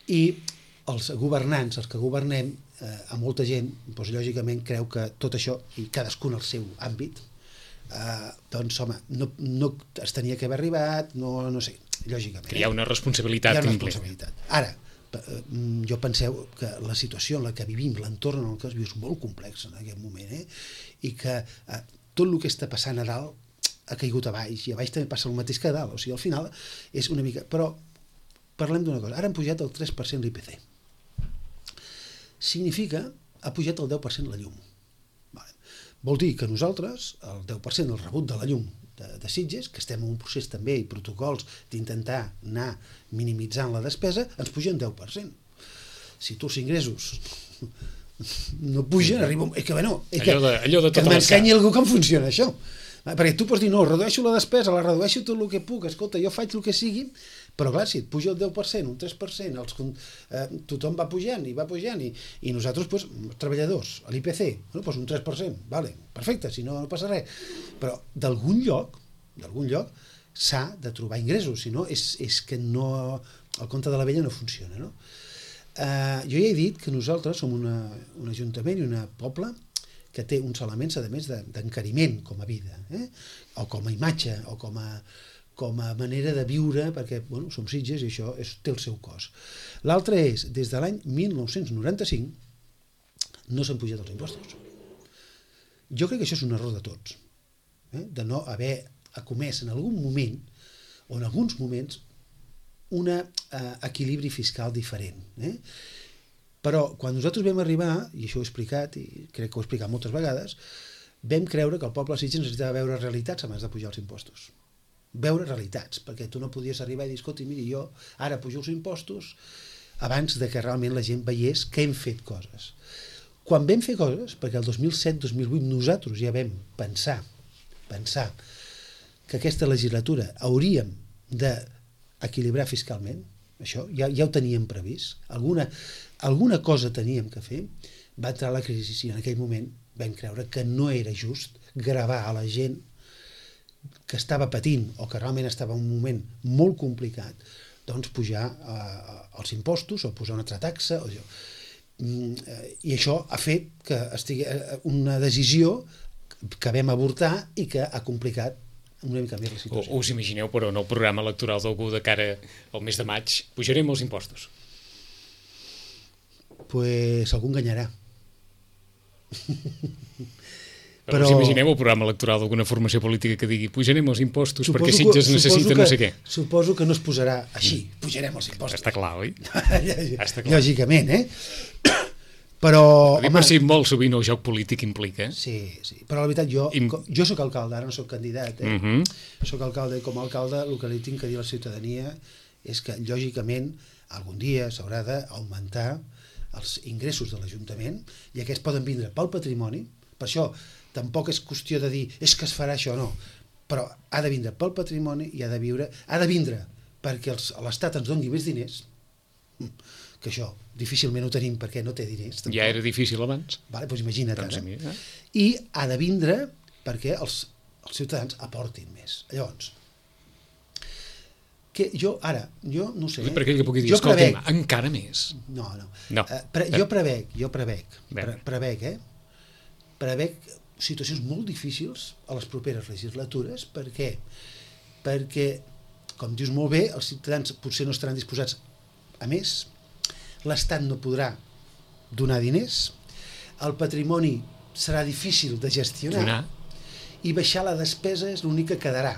C: I els governants, els que governem, eh, a molta gent, doncs, lògicament creu que tot això, i cadascun al seu àmbit, eh, doncs, home, no, no es tenia que haver arribat, no, no sé, lògicament.
B: Que hi ha una responsabilitat.
C: Hi ha una responsabilitat. Ara, jo penseu que la situació en la que vivim, l'entorn en el que es viu és molt complex en aquest moment, eh? I que eh, tot el que està passant a dalt ha caigut a baix, i a baix també passa el mateix que a dalt, o sigui, al final és una mica... Però parlem d'una cosa, ara han pujat el tres per cent l'I P C. Significa, ha pujat el deu per cent la llum. Vale. Vol dir que nosaltres, el deu per cent del rebut de la llum de, de Sitges, que estem en un procés també i protocols d'intentar anar minimitzant la despesa, ens pugen deu per cent. Si tu els ingressos no pugen, arriba... És que, bueno, és que,
B: allò de, allò de
C: que m'ensenyi algú com funciona això. Perquè tu pots dir, no, redueixo la despesa, la redueixo tot el que puc, escolta, jo faig el que sigui, però clar, si et puja el deu per cent, un tres per cent, els, eh, tothom va pujant i va pujant, i, i nosaltres, pues, treballadors, a l'I P C, bueno, pues un tres per cent, vale, perfecte, si no, no passa res. Però d'algun lloc, d'algun lloc, s'ha de trobar ingressos, si no, és, és que no, el compte de la vella no funciona, no? Uh, jo ja he dit que nosaltres som una, un ajuntament i un poble que té uns elements, a més, d'encariment com a vida, eh? O com a imatge, o com a, com a manera de viure, perquè bueno, som Sitges i això és, té el seu cost. L'altre és, des de l'any mil nou-cents noranta-cinc no s'han pujat els impostos. Jo crec que això és un error de tots, eh? De no haver comès en algun moment, o en alguns moments, un eh, equilibri fiscal diferent. Eh? Però quan nosaltres vam arribar, i això ho he explicat, i crec que ho he explicat moltes vegades, vam creure que el poble de Sitges necessitava veure realitats abans de pujar els impostos. Veure realitats, perquè tu no podies arribar i dir, escolta, miri, jo ara pujo els impostos abans de que realment la gent veiés que hem fet coses. Quan vam fer coses, perquè el dos mil set dos mil vuit nosaltres ja vam pensar, pensar que aquesta legislatura hauríem de equilibrar fiscalment, això ja, ja ho teníem previst, alguna, alguna cosa teníem que fer, va entrar la crisi i en aquell moment vam creure que no era just gravar a la gent que estava patint o que realment estava en un moment molt complicat, doncs pujar eh, els impostos o posar una altra taxa o allò. I això ha fet que estigui una decisió que vam avortar i que ha complicat una mica més la situació.
B: O us imagineu, però, en el programa electoral d'algú de cara al mes de maig, pujarem els impostos?
C: Pues algú enganyarà.
B: Però, però us imagineu el programa electoral d'alguna formació política que digui pujarem els impostos perquè Sitges necessita no sé què?
C: Suposo que no es posarà així, pujarem els impostos.
B: Està clar, oi? Està clar.
C: Lògicament, eh? Però,
B: home, per si molt sovint el joc polític implica.
C: Sí, sí, però la veritat, jo, Im... jo soc alcalde, ara no soc candidat, eh? Uh-huh. Soc alcalde, i com a alcalde el que li tinc que dir a la ciutadania és que, lògicament, algun dia s'haurà d'augmentar els ingressos de l'Ajuntament i aquests poden vindre pel patrimoni, per això tampoc és qüestió de dir és que es farà això, no, però ha de vindre pel patrimoni i ha de viure, ha de vindre perquè l'Estat ens doni més diners, que això difícilment ho tenim perquè no té diners. Tampoc.
B: Ja era difícil abans.
C: Vale, doncs imagina't
B: doncs
C: ara.
B: Eh?
C: I ha de vindre perquè els, els ciutadans aportin més. Llavors, que jo ara, jo no sé...
B: Per què que pugui dir, escolta'm, encara més?
C: No, no.
B: no.
C: Uh, pre, jo prevec, jo prevec, pre, prevec, eh? Prevec situacions molt difícils a les properes legislatures. Per què? Perquè, com dius molt bé, els ciutadans potser no estaran disposats a més, l'Estat no podrà donar diners, el patrimoni serà difícil de gestionar
B: donar.
C: I baixar la despesa és l'únic que quedarà,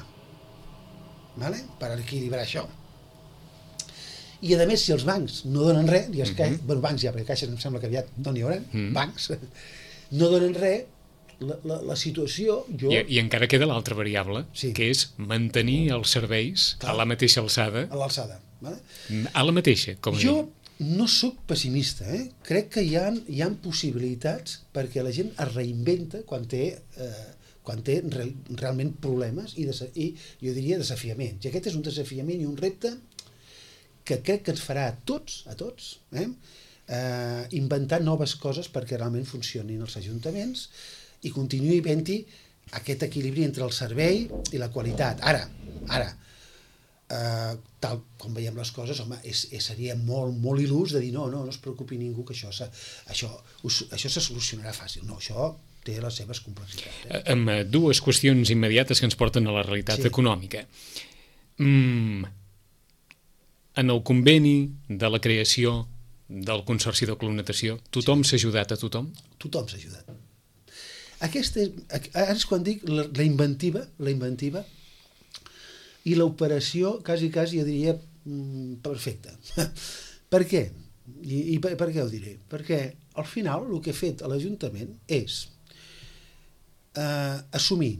C: vale? Per equilibrar això. I a més, si els bancs no donen res, i els mm -hmm. bueno, bancs ja, perquè caixes em sembla que aviat no n'hi haurà, mm -hmm. bancs, no donen res, la, la, la situació... Jo...
B: I, I encara queda l'altra variable,
C: sí.
B: que és mantenir els serveis Clar. a la mateixa alçada.
C: A l'alçada. Vale?
B: A la mateixa, com
C: jo no sóc pessimista, eh? Crec que hi ha, hi ha possibilitats perquè la gent es reinventa quan té, eh, quan té re, realment problemes i, i jo diria desafiaments. I aquest és un desafiament i un repte que crec que ens farà a tots, a tots, eh? Eh, inventar noves coses perquè realment funcionin els ajuntaments i continuï havent-hi aquest equilibri entre el servei i la qualitat. Ara, ara, eh, tal com veiem les coses, home, és, és, seria molt, molt il·lús de dir no, no, no es preocupi ningú que això, això, això se solucionarà fàcil. No, això té les seves complexitats. Eh?
B: Amb dues qüestions immediates que ens porten a la realitat sí. econòmica. Mm, en el conveni de la creació del Consorci de Clonatació, tothom sí. s'ha ajudat a tothom?
C: Tothom s'ha ajudat. Aquesta és, ara és quan dic la, la inventiva, la inventiva i l'operació, quasi, quasi, jo diria, perfecta. Per què? I, i per, per què ho diré? Perquè al final el que ha fet a l'Ajuntament és eh, assumir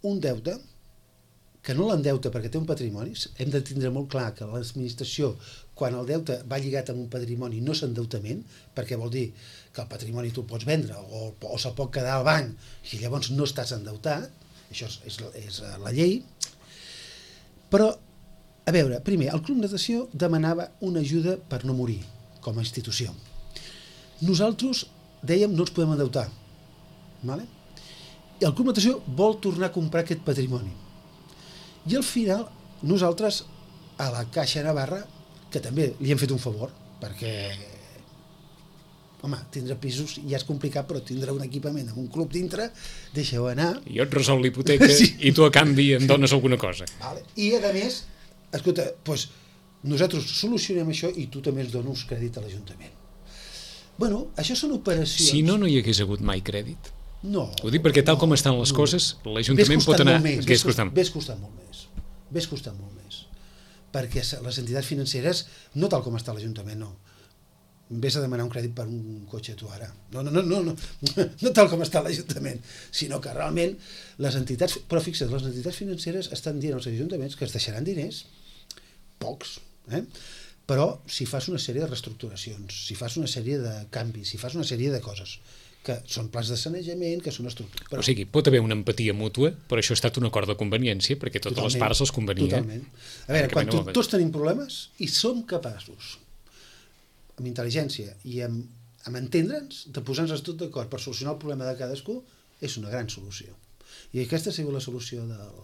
C: un deute que no l'endeuta perquè té un patrimoni. Hem de tindre molt clar que l'administració, quan el deute va lligat amb un patrimoni, no és endeutament, perquè vol dir que el patrimoni tu el pots vendre o, o se'l pot quedar al banc i llavors no estàs endeutat. Això és, és, és la llei. Però, a veure, primer, el Club Natació demanava una ajuda per no morir, com a institució. Nosaltres dèiem no ens podem endeutar. Vale? I el Club Natació vol tornar a comprar aquest patrimoni. I al final, nosaltres, a la Caixa Navarra, que també li hem fet un favor, perquè, home, tindre pisos ja és complicat, però tindre un equipament amb un club dintre, deixeu anar.
B: Jo et resol l'hipoteca sí. i tu a canvi em dones alguna cosa.
C: Vale. I a més, escolta, doncs, nosaltres solucionem això i tu també ens dones crèdit a l'Ajuntament. Bueno, això són operacions...
B: Si no, no hi hagués hagut mai crèdit?
C: No.
B: Ho dic perquè tal
C: no,
B: com estan les
C: no.
B: coses, l'Ajuntament pot anar...
C: Més,
B: Vés costant.
C: Vés costant molt més. Vés costant molt més. Perquè les entitats financeres, no tal com està l'Ajuntament, no. Vés a demanar un crèdit per un cotxe tu ara. No, no, no, no, no, no tal com està l'Ajuntament, sinó que realment les entitats... Però fixa't, les entitats financeres estan dient als ajuntaments que es deixaran diners, pocs, eh? Però si fas una sèrie de reestructuracions, si fas una sèrie de canvis, si fas una sèrie de coses que són plans de sanejament, que són estructures...
B: Però... O sigui, pot haver una empatia mútua, però això ha estat un acord de conveniència, perquè totes totalment, les parts els convenia.
C: Totalment. A veure, quan to, tots tenim problemes i som capaços, amb intel·ligència i amb, amb entendre'ns, de posar-nos tot d'acord per solucionar el problema de cadascú, és una gran solució. I aquesta ha sigut la solució del...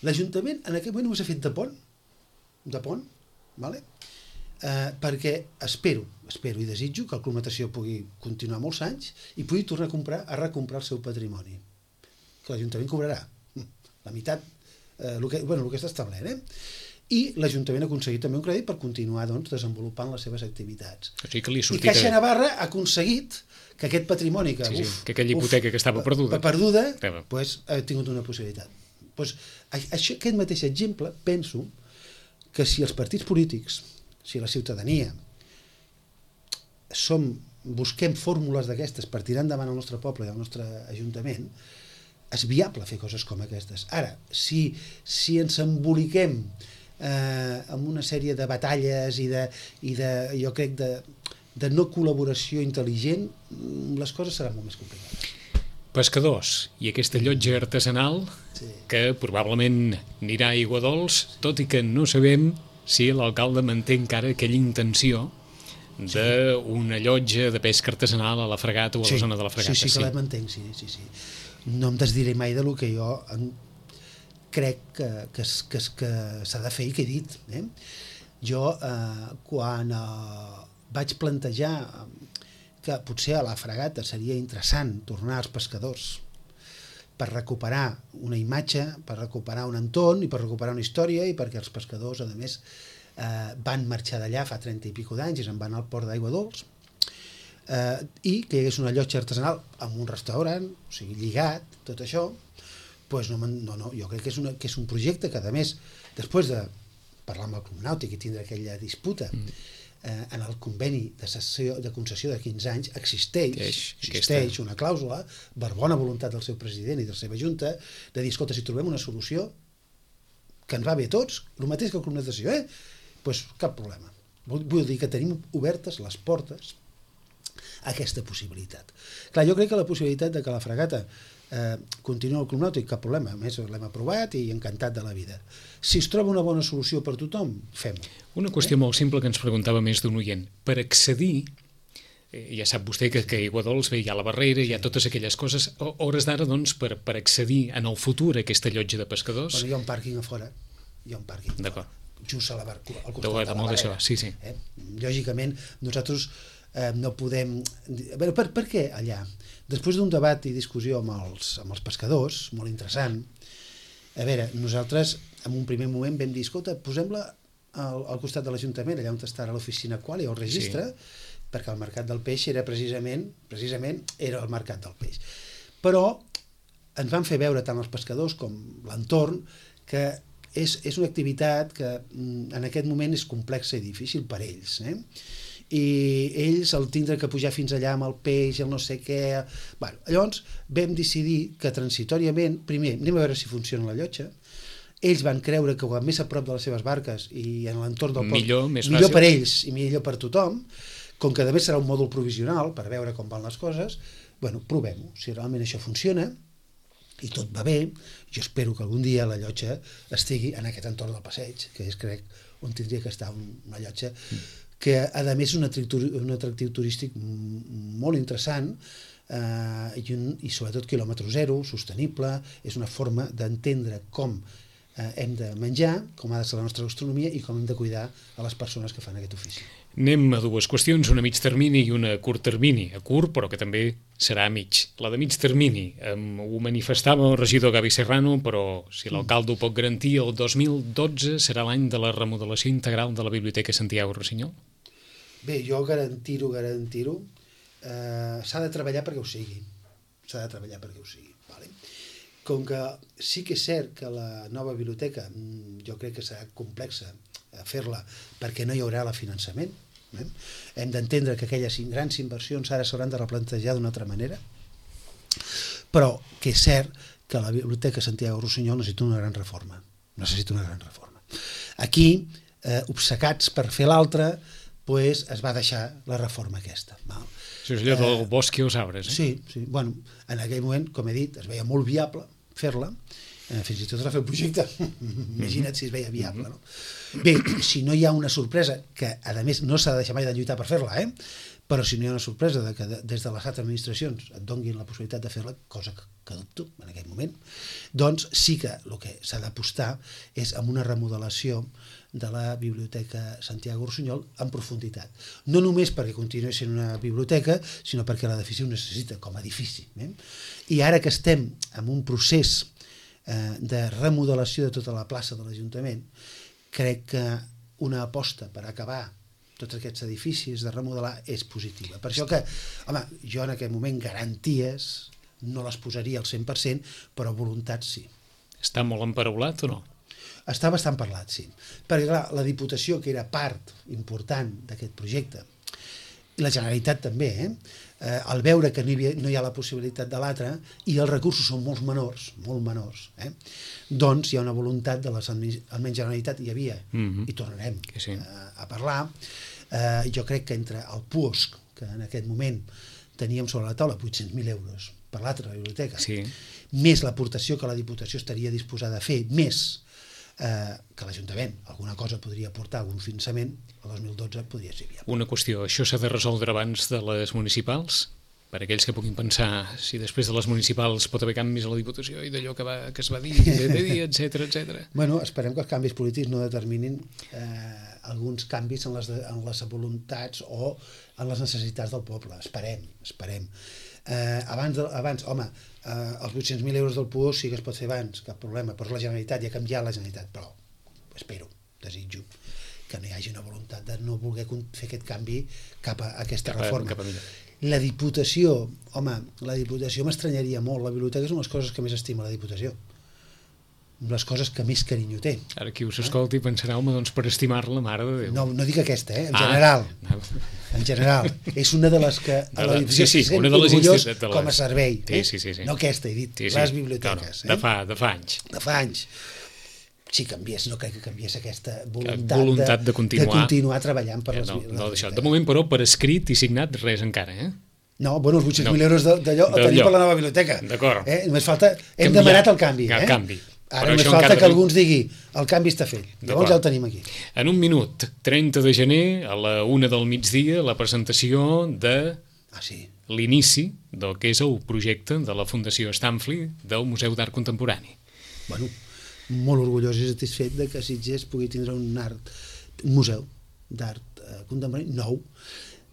C: L'Ajuntament en aquest moment només ha fet de pont, de pont, vale? Eh, perquè espero, espero i desitjo que el Club Natació pugui continuar molts anys i pugui tornar a comprar, a recomprar el seu patrimoni, que l'Ajuntament cobrarà la meitat, eh, el que, bueno, el que està establert, eh? I l'Ajuntament ha aconseguit també un crèdit per continuar doncs, desenvolupant les seves activitats.
B: O sigui que li
C: I Caixa Navarra ha aconseguit que aquest patrimoni que,
B: sí, sí,
C: uf,
B: que aquella hipoteca uf, que estava perduda,
C: perduda pues, ha tingut una possibilitat. Pues, això, aquest mateix exemple, penso que si els partits polítics, si la ciutadania som, busquem fórmules d'aquestes per tirar endavant el nostre poble i el nostre ajuntament, és viable fer coses com aquestes. Ara, si, si ens emboliquem eh, amb una sèrie de batalles i de, i de jo crec, de, de no col·laboració intel·ligent, les coses seran molt més complicades.
B: Pescadors i aquesta llotja artesanal sí. que probablement anirà a Aiguadols, tot i que no sabem si l'alcalde manté encara aquella intenció d'una llotja de pesca artesanal a la Fregata o a la
C: sí.
B: zona de la Fregata.
C: Sí, sí, que sí. la mantenc, sí, sí, sí. No em desdiré mai de lo que jo crec que, que, que, que s'ha de fer i que he dit. Eh? Jo, eh, quan eh, vaig plantejar que potser a la Fregata seria interessant tornar als pescadors per recuperar una imatge, per recuperar un entorn i per recuperar una història i perquè els pescadors, a més, eh, van marxar d'allà fa trenta i pico d'anys i se'n van al port d'Aiguadols eh, i que hi hagués una llotja artesanal amb un restaurant, o sigui, lligat, tot això, doncs no, no, no, jo crec que és, una, que és un projecte que, a més, després de parlar amb el Club Nàutic i tindre aquella disputa, mm. eh, en el conveni de, cessió, de concessió de quinze anys existeix, existeix una clàusula, per bona voluntat del seu president i de la seva junta, de dir, escolta, si trobem una solució que ens va bé a tots, el mateix que el Club Natació, eh? Doncs cap problema. Vull dir que tenim obertes les portes a aquesta possibilitat. Clar, jo crec que la possibilitat de que la fregata eh, continua al Club Nàutic, cap problema, a més l'hem aprovat i encantat de la vida. Si es troba una bona solució per tothom, fem-ho.
B: Una qüestió eh? molt simple que ens preguntava més d'un oient. Per accedir, eh, ja sap vostè que, que a Aigua Dols bé, hi ha la barrera, hi ha totes aquelles coses, a hores d'ara, doncs, per, per accedir en el futur a aquesta llotja de pescadors...
C: Bueno, hi ha un pàrquing a fora, hi ha un pàrquing
B: D'acord.
C: Just a la bar... al costat
B: de,
C: de, de la barrera.
B: Això, sí, sí.
C: Eh? Lògicament, nosaltres eh, no podem... A veure, per, per què allà? Després d'un debat i discussió amb els, amb els pescadors, molt interessant, a veure, nosaltres en un primer moment vam dir, escolta, posem-la al, al costat de l'Ajuntament, allà on està l'oficina qual i el registre, sí. Perquè el mercat del peix era precisament, precisament era el mercat del peix. Però ens van fer veure tant els pescadors com l'entorn que és, és una activitat que en aquest moment és complexa i difícil per ells, eh? I ells el tindre que pujar fins allà amb el peix, el no sé què... Bueno, llavors vam decidir que transitoriament, primer, anem a veure si funciona la llotja, ells van creure que més a prop de les seves barques i en l'entorn del port,
B: millor, més
C: millor
B: fàcil.
C: Per ells i millor per tothom, com que a més serà un mòdul provisional per veure com van les coses, bueno, provem-ho, si realment això funciona i tot va bé, jo espero que algun dia la llotja estigui en aquest entorn del passeig, que és, crec, on tindria que estar una llotja que a més és un atractiu, un atractiu turístic molt interessant eh, i, un, i sobretot quilòmetre zero, sostenible, és una forma d'entendre com eh, hem de menjar, com ha de ser la nostra gastronomia i com hem de cuidar a les persones que fan aquest ofici.
B: Anem a dues qüestions, una a mig termini i una a curt termini. A curt, però que també serà a mig. La de mig termini, eh, ho manifestava el regidor Gavi Serrano, però si l'alcalde ho pot garantir, el dos mil dotze serà l'any de la remodelació integral de la Biblioteca Santiago Rossinyol?
C: Bé, jo garantir-ho, garantir-ho, eh, s'ha de treballar perquè ho sigui. S'ha de treballar perquè ho sigui. Vale? Com que sí que és cert que la nova biblioteca, jo crec que serà complexa fer-la perquè no hi haurà el finançament, eh? Hem d'entendre que aquelles grans inversions ara s'hauran de replantejar d'una altra manera, però que és cert que la Biblioteca Santiago Rossinyol necessita una gran reforma. Necessita una gran reforma. Aquí, eh, obcecats per fer l'altra, pues, es va deixar la reforma aquesta. Val?
B: Això és allò del eh, bosc i els arbres. Eh?
C: Sí, sí. Bueno, en aquell moment, com he dit, es veia molt viable fer-la, eh, fins i tot es va fer el projecte. Imagina't si es veia viable. No? Bé, si no hi ha una sorpresa, que a més no s'ha de deixar mai de lluitar per fer-la, eh? Però si no hi ha una sorpresa de que des de les altres administracions et donguin la possibilitat de fer-la, cosa que, que dubto en aquest moment, doncs sí que el que s'ha d'apostar és amb una remodelació de la Biblioteca Santiago Rossinyol en profunditat. No només perquè continuï sent una biblioteca, sinó perquè l'edifici ho necessita com a edifici. Eh? I ara que estem en un procés eh, de remodelació de tota la plaça de l'Ajuntament, crec que una aposta per acabar tots aquests edificis de remodelar és positiva. Per això que, home, jo en aquest moment garanties no les posaria al cent per cent, però voluntat sí.
B: Està molt emparaulat o no?
C: Està bastant parlat, sí. Perquè, clar, la Diputació, que era part important d'aquest projecte, i la Generalitat també, eh? Eh, al veure que no hi, havia, no hi ha la possibilitat de l'altre i els recursos són molt menors, molt menors, eh? Doncs hi ha una voluntat de les almenys Generalitat hi havia, mm-hmm. i tornarem sí. eh, a parlar. Eh, jo crec que entre el puosc, que en aquest moment teníem sobre la taula vuit-cents mil euros per l'altra biblioteca,
B: sí.
C: més l'aportació que la Diputació estaria disposada a fer, més eh, que l'Ajuntament alguna cosa podria aportar, algun finançament, el dos mil dotze podria ser viable.
B: Una qüestió, això s'ha de resoldre abans de les municipals? Per aquells que puguin pensar si després de les municipals pot haver canvis a la Diputació i d'allò que, va, que es va dir, etcètera, etcètera.
C: Bueno, esperem que els canvis polítics no determinin eh, alguns canvis en les, de, en les voluntats o en les necessitats del poble. Esperem, esperem. Eh, abans, de, abans, home, eh, els vuit-cents mil euros del P U O sí que es pot fer abans, cap problema, però la Generalitat, ja ha canviat la Generalitat, però espero, desitjo que no hi hagi una voluntat de no voler fer aquest canvi cap a aquesta
B: cap a,
C: reforma.
B: Cap a
C: la Diputació, home, la Diputació m'estranyaria molt, la biblioteca és una de les coses que més estima la Diputació. les coses que més carinyo té.
B: Ara qui us escolti pensarà, home, doncs per estimar-la, mare de Déu.
C: No, no dic aquesta, eh? En general. Ah. En general. És una de les que a la
B: sí, sí, una de les
C: orgullós
B: de les...
C: com a servei.
B: Sí,
C: eh?
B: sí, sí, sí.
C: No aquesta, he dit,
B: sí, sí.
C: les biblioteques.
B: No, no. De, fa, de fa anys.
C: De fa anys. Si canviés, no crec que canviés aquesta voluntat,
B: voluntat de, de, continuar,
C: de continuar treballant per les,
B: no,
C: les
B: no, d'això. De moment, però, per escrit i signat, res encara, eh?
C: No, bueno, els vuit-cents mil no. euros d'allò el tenim per la nova biblioteca.
B: D'acord.
C: Eh? Només falta... Hem Canviar. demanat el canvi.
B: El
C: eh?
B: canvi.
C: Ara només falta que algú ens digui el canvi està fet. Llavors ja el tenim aquí.
B: En un minut, trenta de gener, a la una del migdia, la presentació de
C: ah, sí.
B: l'inici del que és el projecte de la Fundació Stanfli del Museu d'Art Contemporani.
C: Bueno, molt orgullós i satisfet de que Sitges pugui tindre un art, un museu d'art eh, contemporani nou,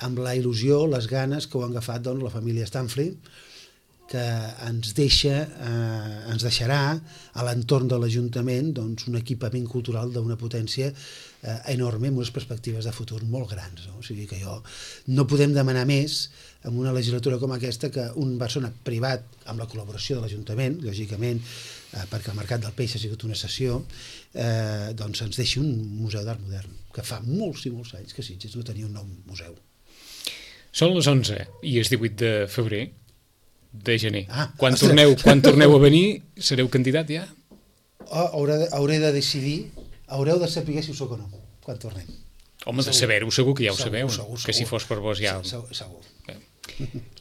C: amb la il·lusió, les ganes que ho han agafat doncs, la família Stanfli, que ens deixa, eh, ens deixarà a l'entorn de l'Ajuntament doncs, un equipament cultural d'una potència eh, enorme, amb unes perspectives de futur molt grans. No? O sigui que jo no podem demanar més en una legislatura com aquesta que un persona privat, amb la col·laboració de l'Ajuntament, lògicament, eh, perquè el Mercat del Peix ha sigut una sessió, eh, doncs ens deixi un museu d'art modern, que fa molts i molts anys que Sitges no tenia un nou museu.
B: Són les onze i és divuit de febrer, de gener.
C: Ah,
B: quan, torneu, quan torneu a venir, sereu candidat ja?
C: Oh, hauré, de, hauré de decidir, haureu de saber si ho soc o no, quan tornem.
B: Home, de saber-ho segur que ja ho
C: segur,
B: sabeu,
C: segur, segur,
B: que si fos per vos ja...
C: Segur, segur.
B: Bé,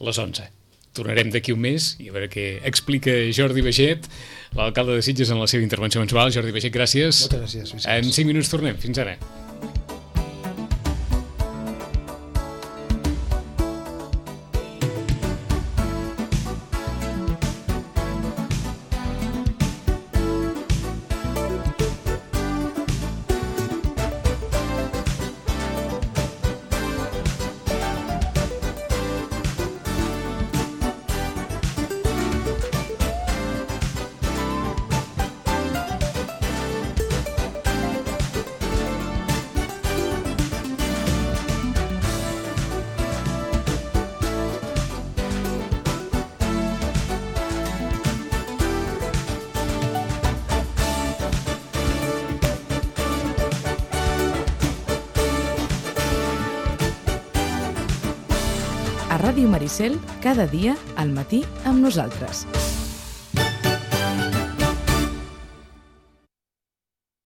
B: les onze. Tornarem d'aquí un mes i a veure què explica Jordi Baixet, l'alcalde de Sitges, en la seva intervenció mensual. Jordi Baixet, gràcies.
C: Moltes gràcies. Vicenç.
B: En cinc minuts tornem. Fins ara.
A: A Ràdio Maricel, cada dia al matí amb nosaltres.